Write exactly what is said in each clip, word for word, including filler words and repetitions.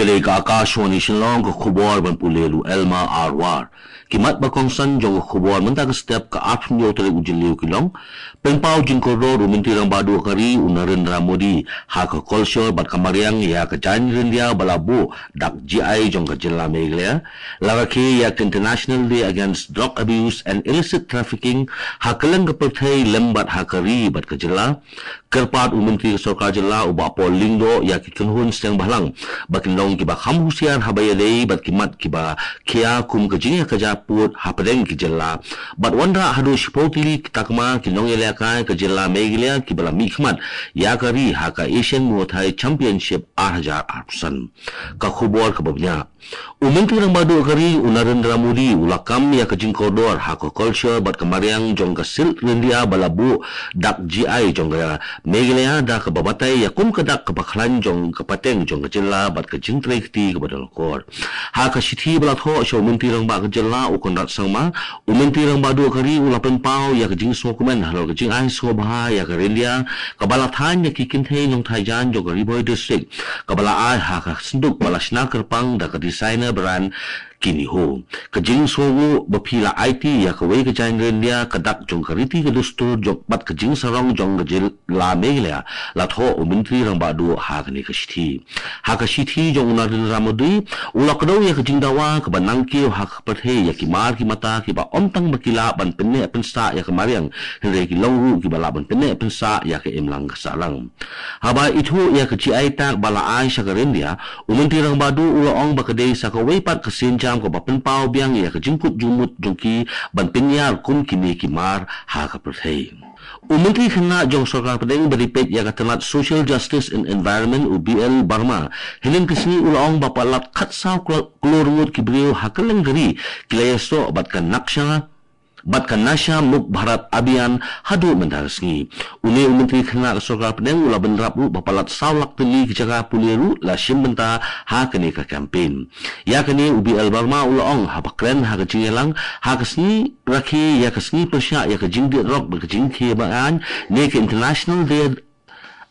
Ka dei ka Akashvani Shillong, ka khubor ban pule da u Elma Arwar. Ki mat ba kongsan jong ka khubor mynta ka step, ka arphew tarik u Jylliew ki long: Pynpaw jingkordor u Myntri Rangbah Duh ka ri u Narendra Modi ha ka kolshor bad ka mariang ïa ka jaiñ ryndia ba la buh dak G I jong ka jylla Meghalaya. La rakhe ïa ka International Day Against Drug Abuse and Illicit Trafficking ha kylleng ka pyrthei lem bad ha ka ri bad ka jylla. Kyrpad u Myntri ka Sorkar Jylla u Bah Paul Lyngdoh ïa ki kynhun seng bhalang ba kin long kiba kham husiar haba ïadei bad ki mat kiba khia kum ka jingïakajia pud hapdeng ki jylla. Bad wanrah haduh shiphew tylli ki takma ki nongïalehkai ka jylla Meghalaya kiba la mihkhmat ïa ka ri ha ka Asian Muay Thai Championship ar hajar arphew san. Ka khubor kaba bniah. U Myntri Rangbah Duh ka ri u Narendra Modi u la kam ïa ka jingkordor ha ka kolshor bad ka mariang jong ka silk ryndia ba la buh dak G I jong ka Meghalaya, da kaba batai ïa kum ka dak kaba khlaiñ jong ka pateng jong ka jylla bad ka jingtrei kti kaba donkor. Ha ka shithi ba la thoh sha u Myntri Rangbah ka jylla u Conrad Sangma, u Myntri Rangbah Duh ka ri u la pynpaw ïa ka jingsngewkmen halor ka jingai sngewbha ïa ka ryndia kaba la thaiñ ïa ki kynthei nongthaiñ jaiñ jong ka Ri Bhoi District, kaba la ai ha ka synduk ba la shna kyrpang da ka designer brand Kiniho. Ka jingsngewnguh ba phi la aiti ïa kawei ka jaiñ ryndia, ka dak jong ka riti ka dustur jong bad ka jingsarong jong ka jylla Meghalaya, la thoh u Myntri Rangbah Duh ha kane ka shithi. Ha ka shithi jong u Narendra Modi, u la kdew ïa ka jingdawa kaba nangkiew ha ka pyrthei ïa ki mar ki mata kiba ym tang ba ki lah ban pynneh pynsah ïa ka mariang, hynrei ki long ruh kiba lah ban pynneh pynsah ïa ka imlang ka sahlang. Haba ithuh ïa ka G I tag ba la ai sha ka ryndia, u Myntri Rangbah Duh u la ong ba ka dei sa kawei pat ka sienjam kaba pynpaw biang ïa ka jingkut jingmut jong ki ban pynïar kum kine ki mar ha ka pyrthei. U Myntri Khynnah jong Sorkar Pdeng ba dei peit ïa ka tnat Social Justice and Environment u B L Verma, hynnin ka sngi u la ong ba palat khatsaw klur ngut ki briew ha kylleng ka ri ki la ïasoh bad ka naksha bad ka Nasha Mukt Bharat Abhiyan haduh mynta ka sngi. Une u Myntri Khynnah ka Sorkar Pdeng u la bynrap ruh ba palat saw lak tylli ki jaka pule ruh la shim bynta ha kane ka campaign. Ïa kane u B L Verma u la ong haba kren ha ka jingïalang ha ka sngi rakhe ïa ka sngi pyrshah ïa ka jingdih drok bad ka jingkhie beaiñ, ne ka International Day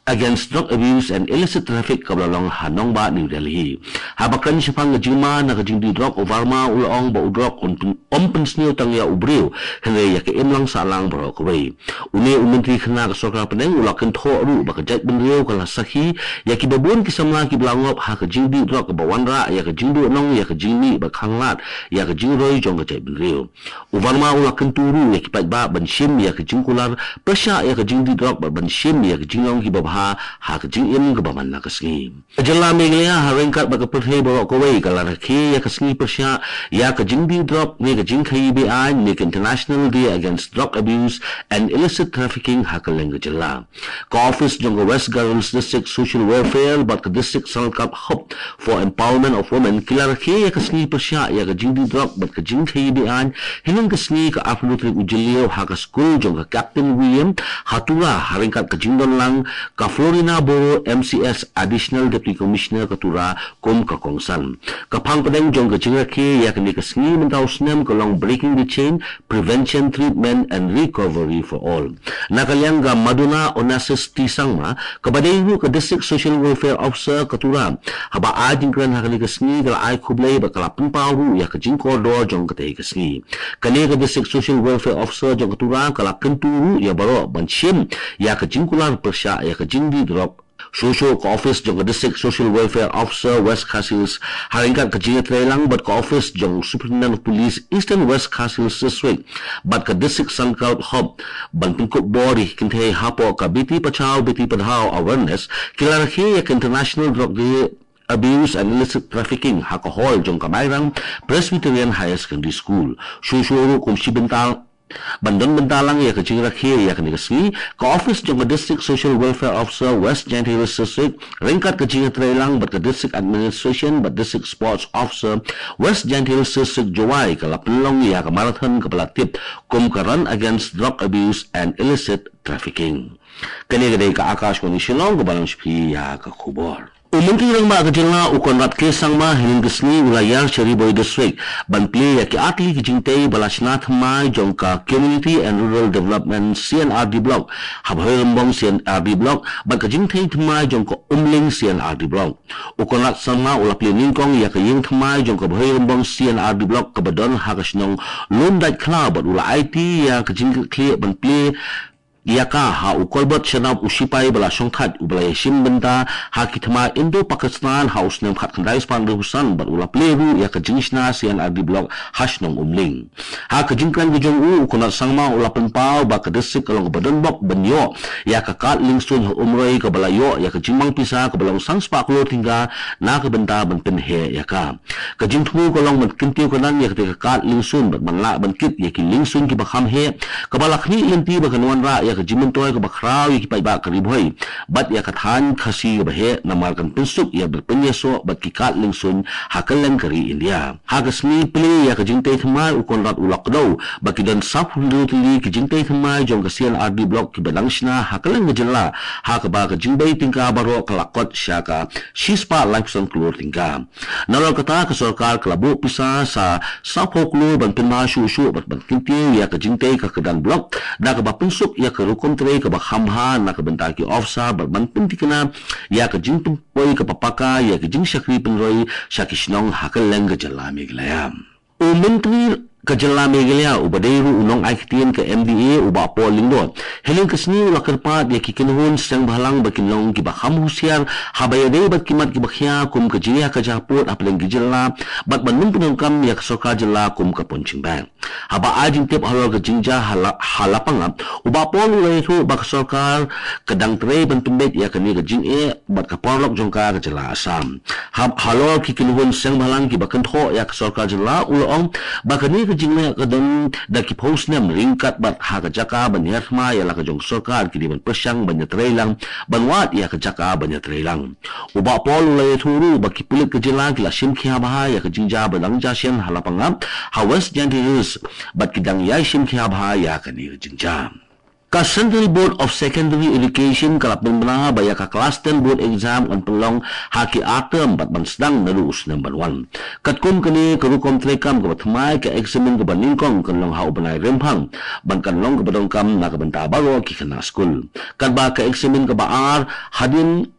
Against Drug Abuse and Illicit Traffic kaba la long ha nongbah New Delhi. Haba kren shaphang ka jingma na ka jingdih drok, u Verma u la ong ba u drok um pyn-, um pynsniew tang ïa u briew, hynrei ïa ka imlang sahlang baroh kawei. Une u Myntri Khynnah ka Sorkar Pdeng u la kynthoh ruh ba ka jaitbynriew ka la sakhi ïa kiba bun ki samla kiba la ngop ha ka jingdih drok kaba wanrah ïa ka jingduhnong, ïa ka jingmih ba khanglad ïa ka jingroi jong ka jaitbynriew. U Verma u la kyntu ruh ïa ki paidbah ban shim ïa ka jingkular pyrshah ïa ka jingdih drok bad ban shim ïa ka jinglong kiba bha ha ka jingim kaba man la ka sngi. Ka jylla Meghalaya ha ryngkat bad ka pyrthei baroh kawei ka la rakhe ïa ka sngi pyrshah ïa ka jingdih drok ne ka jingkhaïi beaiñ ne ka International Day Against Drug Abuse and Illicit Trafficking ha kylleng ka jylla. Ka office jong ka West Garo Hills District Social Welfare bad ka District Self Help Hub for Empowerment of Women ki la rakhe ïa ka sngi pyrshah ïa ka jingdih drok bad ka jingkhaïi beaiñ hynnin ka sngi ka arphew tarik u Jylliew ha ka skul jong ka Captain William ha Tura, ha ryngkat ka jingdon lang ka Florina Boro, M C S, Additional Deputy Commissioner ka Tura, kum ka kongsan. Ka phang pdeng jong ka jingrakhe ïa kane ka sngi mynta u snem ka long Breaking the Chain, Prevention, Treatment and Recovery for All. Na ka liang ka Maduna Onassis T Sangma, kaba dei ruh ka District Social Welfare Officer ka Tura, haba ai jingkren ha kane ka sngi ka la ai khublei bad ka la pynpaw ruh ïa ka jingkordor jong katei ka sngi. Kane ka District Social Welfare Officer jong ka Tura ka la kyntu ruh ïa baroh ban shim ïa ka jingkular pyrshah ïa ka jingdih drok. Shuh shuh ka office jong ka District Social Welfare Officer West Khasi Hills ha ryngkat ka jingïatreilang bad ka office jong Superintendent of Police Eastern West Khasi Hills District bad ka District Self Help Hub ban pynkup bor ïa ki kynthei hapoh ka Beti Bachao Beti Padhao Awareness, ki la rakhe ïa ka International Drug Day Abuse and Illicit Trafficking ha ka hall jong ka Mairang Presbyterian Higher Secondary School. Shuh shuh ruh kum shi bynta ban don bynta lang ïa ka jingrakhe ïa kane ka sngi, ka office jong ka District Social Welfare Officer West Jaintia Hills District ryngkat ka jingïatreilang bad ka District Administration bad District Sports Officer West Jaintia Hills District, Jowai, ka la pynlong ïa ka marathon kaba la tip kum ka Run Against Drug Abuse and Illicit Trafficking. Kane ka dei ka Akashvani Shillong kaba lam sha phi ïa ka khubor. U Myntri Rangbah ka jylla u Conrad K Sangma hynnin ka sngi u la ïar sha Ri Bhoi District ban plie ïa ki artylli ki jingtei ba la shna thymmai jong ka Community and Rural Development C and R D Block ha Bhoirymbong C and R D Block bad ka jingtei thymmai jong ka Umling C and R D Block. U Conrad Sangma u la plie nyngkong ïa ka ïing thymmai jong ka Bhoirymbong C and R D Block kaba don ha ka shnong Lumdait Khlaw bad u la aiti ïa ka jingkitkhlieh ban plie ïa ka ha u Kolbot Shanap, u shipai ba la shongthait uba la ïashim bynta ha ki thma Indo-Pakistan ha u snem khatkhyndai spah hynriewphew san bad u la plie ruh ïa ka jingshna C and R D Block ha shnong Umling. Ha ka jingkren ka jong u, u Conrad Sangma u la pynpaw ba ka district ka long kaba donbok ban ïoh ïa ka kad liengsuiñ ha Umroi kaba la ïoh ïa ka jingmang pisa kaba long san spah klur tyngka na ka bynta ban pynheh ïa ka. Ka jingthmu ka long ban kyntiew kyndan ïa katei ka kad liengsuiñ bad ban lah ban kit ïa ki liengsuiñ kiba kham heh, kaba la khmih lynti ba kan wanrah ïa ka jingmyntoi kaba khraw ïa ki paidbah ka Ri Bhoi bad ïa ka thaiñ Khasi kaba heh, namar kan pynsuk ïa ka pynïasoh bad ki kad liengsuiñ ha kylleng ka ri India. Ha ka sngi plie ïa ka jingtei thymmai, u Conrad u la kdew ba ki don sawphew hynriew tylli ki jingtei thymmai jong ka C and R D Block kiba dang shna ha kylleng ka jylla, ha kaba ka jingbei tyngka baroh ka la kot sha ka shispah laiphew san klur tyngka. Nalor kata, ka sorkar ka la buh pisa sa sawphew klur ban pynbha shuh shuh bad ban kyntiew ïa ka jingtei ka kyrdan block da kaba pynsuk ïa ka rukom trei kaba kham bha na ka bynta ki officer bad ban pynthikna ïa ka jingpynpoi kaba paka ïa ka jingshakri pynroi sha ki shnong ha kylleng ka jylla Meghalaya. U Myntri ka jylla Meghalaya uba dei ruh u nongai ktien ka M D A, u Bah Paul Lyngdoh, hynnin ka sngi u la kyrpad ïa ki kynhun seng bhalang ba kin long kiba kham husiar haba ïadei bad ki mat kiba khia kum ka jingïakajia pud hapdeng ki jylla bad ban nym pyndonkam ïa ka sorkar jylla kum ka pun jingbeh. Haba ai jingtip halor ka jingjia ha La-, ha Lapangap, u Bah Paul u la ïathuh ba ka sorkar ka dang trei ban pynbeit ïa kane ka jingeh bad ka paralok jong ka, ka jylla Assam. Ha, halor ki kynhun seng bhalang kiba kynthoh ïa ka sorkar jylla, u la ong ba kane ka jingleh ka don da ki phew snem ryngkat bad ha ka jaka ban hiar thma ïa la ka jong ka sorkar, ki dei ban pyrshang ban ïatreilang ban wad ïa ka jaka ban ïatreilang. U Bah Paul u la ïathuh ruh ba ki pulit ka jylla ki la shim khia bha ïa ka jingjia ba dang jia shen ha Lapangap ha West Jaintia Hills bad ki dang ïai shim khia bha ïa kane ka jingjia. Ka Central Board of Secondary Education ka la pynbna ba ïa ka Class ten Board Exam kan pynlong ha ki ar term bad ban sdang naduh u snem ban wan. Katkum kane ka rukom treikam kaba thymmai, ka eksamin kaba nyngkong kan long ha u bnai Rymphang bad kan long kaba donkam na ka bynta baroh ki khynnah skul. Katba ka eksamin kaba ar hadien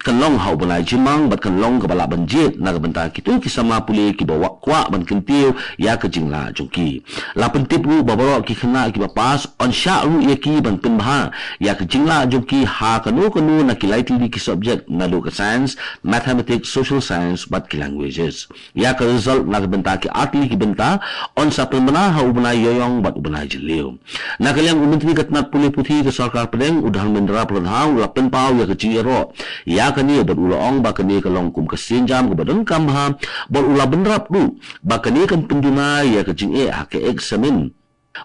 kan long ha u bnai Jymmang bad kan long kaba lah ban jied na ka bynta kito ki samla pule kiba kwah ban kyntiew ïa ka jinglah jong ki. La pyntip ruh ba baroh ki khynnah kiba pass yn shah ruh ïa ki ban pynbha ïa ka jinglah jong ki ha kano kano na ki lai tylli ki subject, naduh ka science, mathematics, social science bad ki languages. Ïa ka result na ka bynta ki ar tylli ki bynta yn sa pynbna ha u bnai Ïaïong bad u bnai Jylliew. Na ka liang u Myntri ka tnat pule puthi ka sorkar pdeng, u Dharmendra Pradhan, u la pynpaw ïa ka jingïaroh ïa kane bad u la ong ba kane ka long kum ka sienjam kaba donkam bha bad u la bynrap ruh ba kane kan pynduna ïa ka jingeh ha ka eksamin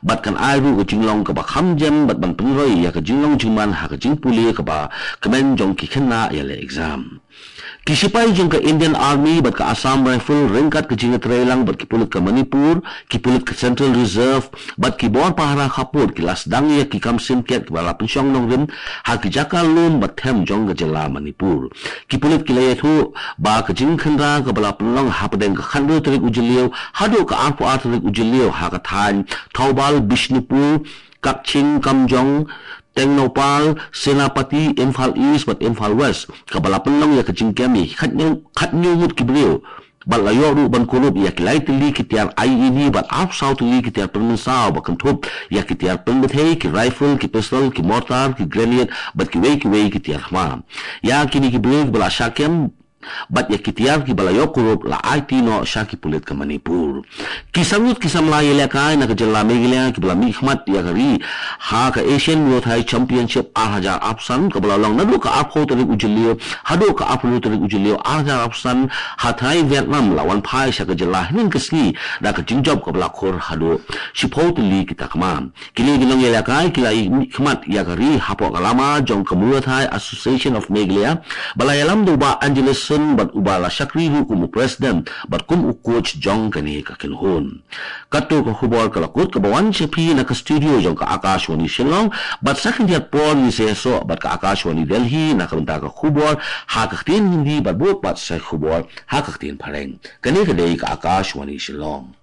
bad kan ai ruh ka jinglong kaba kham jem bad ban pynroi ïa ka jinglong jingman ha ka jingpule kaba kmen jong ki khynnah ïaleh exam. Ki sipai jong ka Indian Army bad ka Assam Rifle ryngkat ka jingïatreilang bad ki pulit ka Manipur, ki pulit ka Central Reserve bad ki bor pahara khappud ki la sdang ïa ki kam simkiat kiba la pynshong nongrim ha ki jaka lum bad them jong ka jylla Manipur. Ki pulit ki la ïathuh ba ka jingkhynra kaba la pynlong hapdeng ka khathynriew tarik u Jylliew haduh ka arphew ar tarik u Jylliew ha ka thaiñ Thoubal, Bishnupur, Kakching, Kamjong, Tengnoupal, Senapati, Imphal East bad Imphal West, kaba la pynlong ïa ka jingkem ïa ki khathynñiew, khathynñiew ngut ki briew bad la ïoh ruh ban kurup ïa ki lai tylli ki tiar I E D bad arphew saw tylli ki tiar pynmynsaw ba kynthup ïa ki tiar pynbthei, ki rifle, ki pistol, ki mortar, ki grenade bad kiwei kiwei ki tiar thma. Ïa kine ki briew kiba la shah kem bad ïa ki tiar kiba la ïoh kurup la aiti noh sha ki pulit ka Manipur. Ki sangwut ki samla ïalehkai na ka jylla Meghalaya kiba la mihkhmat ïa ka ri ha ka Asian Muay Thai Championship ar hajar arphew san kaba la long naduh ka arphew tarik u Jylliew haduh ka arphew hynriew tarik u Jylliew ar hajar arphew san ha Thai Vietnam la wan phai sha ka jylla hynnin ka sngi da ka jingjop kaba la khur haduh shiphew tylli ki takma. Kine ki nongïalehkai ki la mihkhmat ïa ka ri hapoh ka lama jong ka Muay Thai Association of Meghalaya ba la ïalam da u Bah Angeles bad uba la shakri ruh kum u president bad kum u coach jong kane ka kynhun. Kato ka khubor ka la kut kaba wan sha phi na ka studio jong ka Akashvani Shillong, bad sa khyndiat por ngin sa ïasoh bad ka Akashvani Delhi na ka bynta ka khubor ha ka ktien Hindi bad bud pat sa khubor ha ka ktien Phareng. Kane ka dei ka Akashvani Shillong.